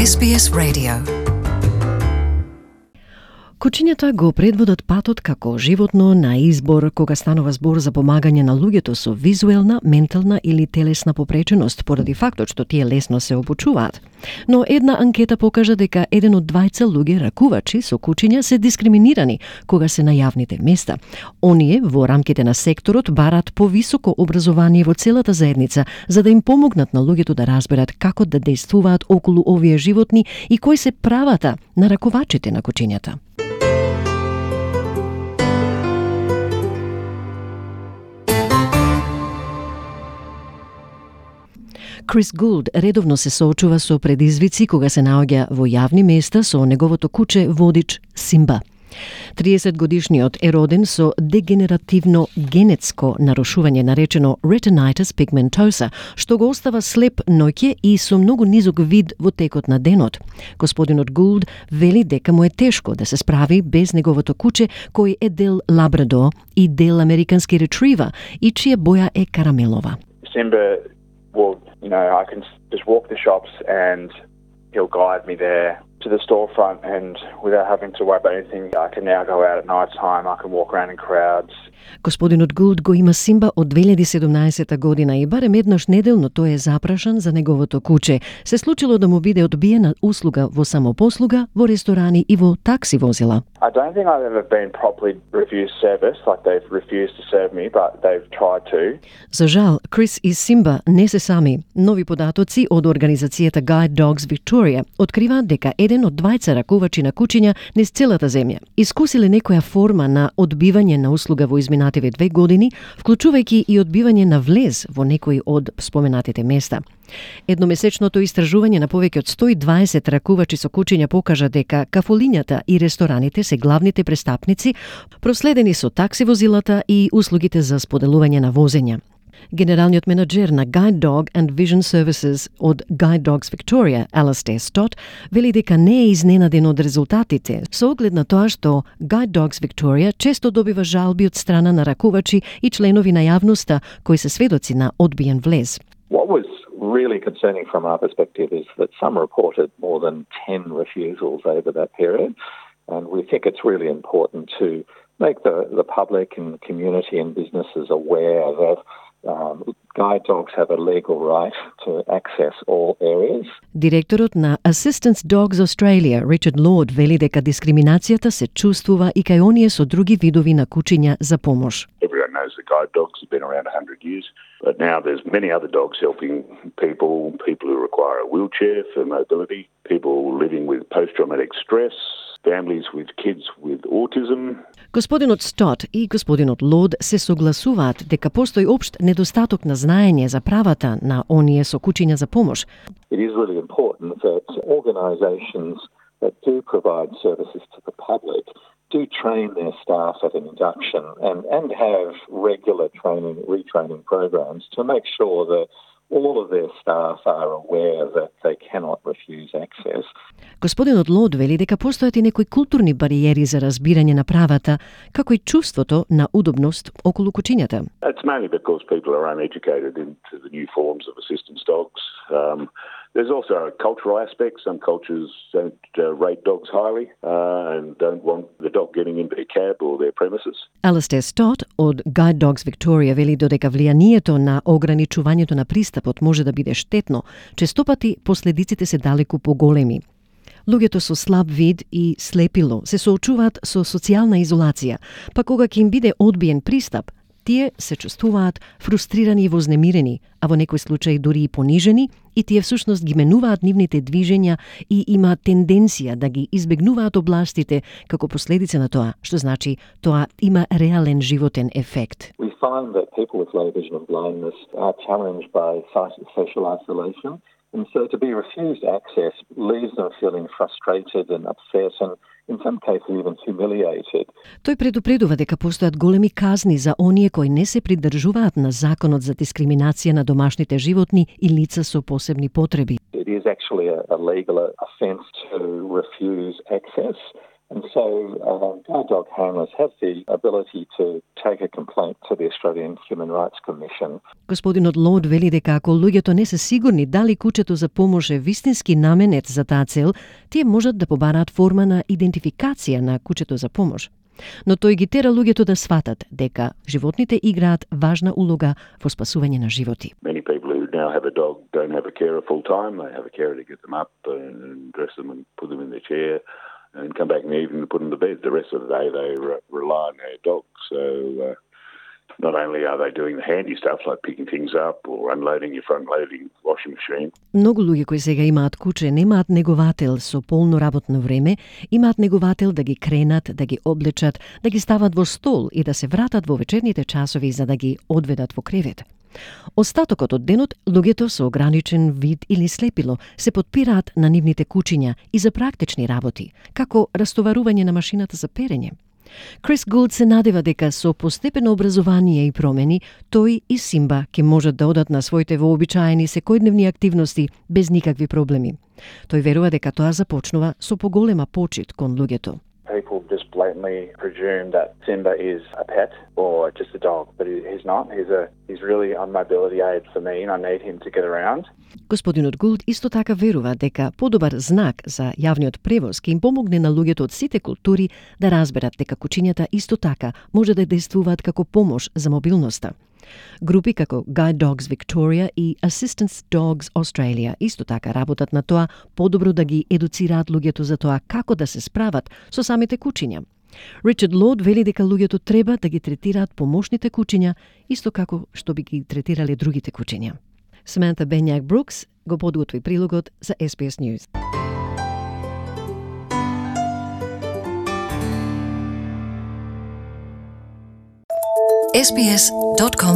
SBS Radio. Кучињата го предводат патот како животно на избор кога станува збор за помагање на луѓето со визуелна, ментална или телесна попреченост поради фактот што тие лесно се обучуваат. Но една анкета покажа дека 1 од 2 луѓе ракувачи со кучиња се дискриминирани кога се на јавните места. Оние во рамките на секторот барат повисоко образование во целата заедница за да им помогнат на луѓето да разберат како да действуваат околу овие животни и кои се правата на ракувачите на кучињата. Крис Гулд редовно се соочува со предизвици кога се наоѓа во јавни места со неговото куче водич Симба. 30-годишниот е роден со дегенеративно генетско нарушување наречено retinitis pigmentosa, што го остава слеп ноќе и со многу низок вид во текот на денот. Господинот Гулд вели дека му е тешко да се справи без неговото куче, кој е дел лабрадор и дел американски ретривер и чија боја е карамелова. Simba will, I can just walk the shops and he'll guide me there to the storefront, and without having to worry about anything, I can now go out at night time, I can walk around in crowds. Господинот Гулд го има Симба од 2017 година и барем еднаш неделно тој е запрашан за неговото куче. Се случило да му биде одбиена услуга во самопослуга, во ресторани и во такси возила. I don't think I've ever been properly refused service, like they've refused to serve me, but they've tried to. За жал, Крис и Симба не се сами. Нови податоци од организацијата Guide Dogs Victoria откриваат дека 1 од 2 ракувачи на кучиња низ целата земја искусиле некоја форма на одбивање на услуга во изминативе 2 години, вклучувајќи и одбивање на влез во некои од споменатите места. Едномесечното истражување на повеќе од 120 ракувачи со кучиња покажа дека кафулињата и рестораните се главните престапници, проследени со такси возилата и услугите за споделување на возења. Генералниот менаџер на Guide Dog and Vision Services од Guide Dogs Victoria, Alastair Stott, вели дека не е изненаден од резултатите, со оглед на тоа што Guide Dogs Victoria често добива жалби од страна на ракувачи и членови на јавноста кои се сведоци на одбиен влез. What was really concerning from our perspective is that some reported more than 10 refusals over that period, and we think it's really important to make the public and community and businesses aware that guide dogs have a legal right to access all areas. Директорот на Assistance Dogs Australia, Richard Lord, вели дека дискриминацијата се чувствува и кај оние со други видови на кучиња за помош. Everyone knows that guide dogs have been around 100 years, but now there's many other dogs helping people who require a wheelchair for mobility, people living with post-traumatic stress, families with kids with autism. Господинот Стот и господинот Лод се согласуваат дека постои општ недостаток на знаење за правата на оние со кучиња за помош. It is really important that organisations that do provide services to the public do train their staff at an induction and have regular retraining programs to make sure that all of their staff are aware that they cannot refuse access. Господинот Лод вели дека постојат и некои културни бариери за разбирање на правата, како и чувството на удобност околу кучињата. It's mainly because people are uneducated into the new forms of assistance dogs. There's also a cultural aspect. Some cultures don't rate dogs highly and don't want the dog getting into their cab or their premises. Alastair Stott од Guide Dogs Victoria вели додека влијанието на ограничувањето на пристапот може да биде штетно, честопати последиците се далеку поголеми. Луѓето со слаб вид и слепило се соочуваат со социјална изолација, па кога ќе им биде одбиен пристап, тие се чувствуваат фрустрирани и вознемирени, а во некој случај дури и понижени, и тие всушност ги менуваат нивните движења и имаат тенденција да ги избегнуваат областите како последица на тоа, што значи тоа има реален животен ефект. We find that people with low vision and blindness are challenged by social isolation, and so to be refused access leaves them feeling frustrated and upset and in some cases even humiliated. Тој предупредува дека постојат големи казни за оние кои не се придржуваат на законот за дискриминација на домашните животни и лица со посебни потреби. It is actually a legal offence to refuse access, And so guide dog handlers have the ability to take a complaint to the Australian Human Rights Commission. Господинот Лоуд вели дека ако луѓето не се сигурни дали кучето за помош е вистински наменет за таа цел, тие можат да побараат форма на идентификација на кучето за помош. Но тој ги тера луѓето да сватат дека животните играат важна улога во спасување на животи. Many people who now have a dog don't have a carer full time. They have a carer to get them up and dress them and put them in their chair and come back in the evening to put them to bed. The rest of the day they rely on their dog. So not only are they doing the handy stuff like picking things up or unloading your front-loading washing machine. Многу луѓе кои сега имаат куче немаат неговател со полно работно време, имаат неговател да ги кренат, да ги облечат, да ги стават во стол и да се вратат во вечерните часови за да ги одведат во кревет. Остатокот од денот, луѓето со ограничен вид или слепило се потпираат на нивните кучиња и за практични работи, како растоварување на машината за перење. Крис Гулд се надева дека со постепено образование и промени, тој и Симба ќе можат да одат на своите вообичаени секојдневни активности без никакви проблеми. Тој верува дека тоа започнува со поголема почит кон луѓето. People just blatantly presume that Simba is a pet or just a dog, but he's not. He's really a mobility aid for me and I need him to get around. Господинот Гулд исто така верува дека подобар знак за јавниот превоз ќе им помогне на луѓето од сите култури да разберат дека кучињата исто така може да действуваат како помош за мобилноста. Групи како Guide Dogs Victoria и Assistance Dogs Australia исто така работат на тоа подобро да ги едуцираат луѓето за тоа како да се справат со самите кучиња. Ричард Лоуд вели дека луѓето треба да ги третираат помошните кучиња исто како што би ги третирале другите кучиња. Саманта Бенјак Брукс го подготви прилогот за SBS News. sbs.com.au